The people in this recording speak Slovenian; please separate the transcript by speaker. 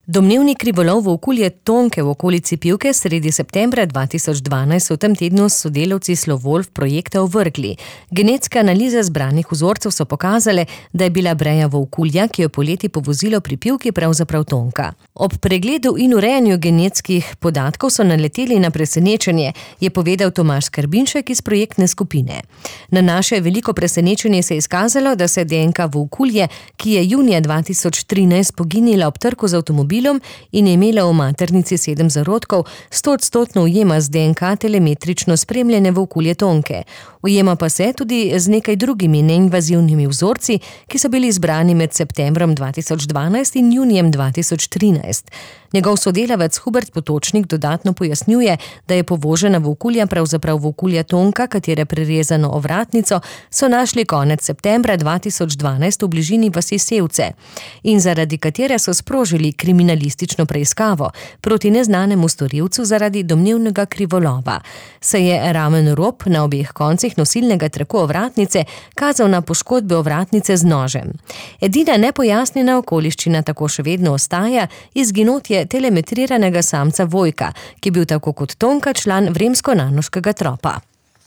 Speaker 1: Domnevni krivolov volkulje Tonke v okolici Pivke sredi septembra 2012 v tem tednu s sodelavci Slovolf projekta ovrgli. Genetske analize zbranih vzorcev so pokazale, da je bila breja volkulja, ki jo poleti povozilo pri Pivki, pravzaprav Tonka. Ob pregledu in urejanju genetskih podatkov so naleteli na presenečenje, je povedal Tomaž Skrbinšek iz projektne skupine. Na naše veliko presenečenje se je izkazalo, da se DNK volkulje, ki je junija 2013 poginila ob trku z avtomobilom in je imela v maternici 7 zarodkov, 100% ujema z DNK telemetrično spremljene volkulje Tonke. Ujema pa se tudi z nekaj drugimi neinvazivnimi vzorci, ki so bili izbrani med septembrom 2012 in junijem 2013. Njegov sodelavec Hubert Potočnik dodatno pojasnjuje, da je povožena volkulja pravzaprav volkulja Tonka, katere prerezano ovratnico so našli konec septembra 2012 v bližini vasi Sevce in zaradi katere so sprožili kriminalistično preiskavo proti neznanemu storilcu zaradi domnevnega krivolova. Se je ramen rob na obeh koncih nosilnega traku ovratnice kazal na poškodbe ovratnice z nožem. Edina nepojasnjena okoliščina tako še vedno ostaja izginotje telemetriranega samca Vojka, ki je bil tako kot Tonka član Vremsko-Nanoškega tropa.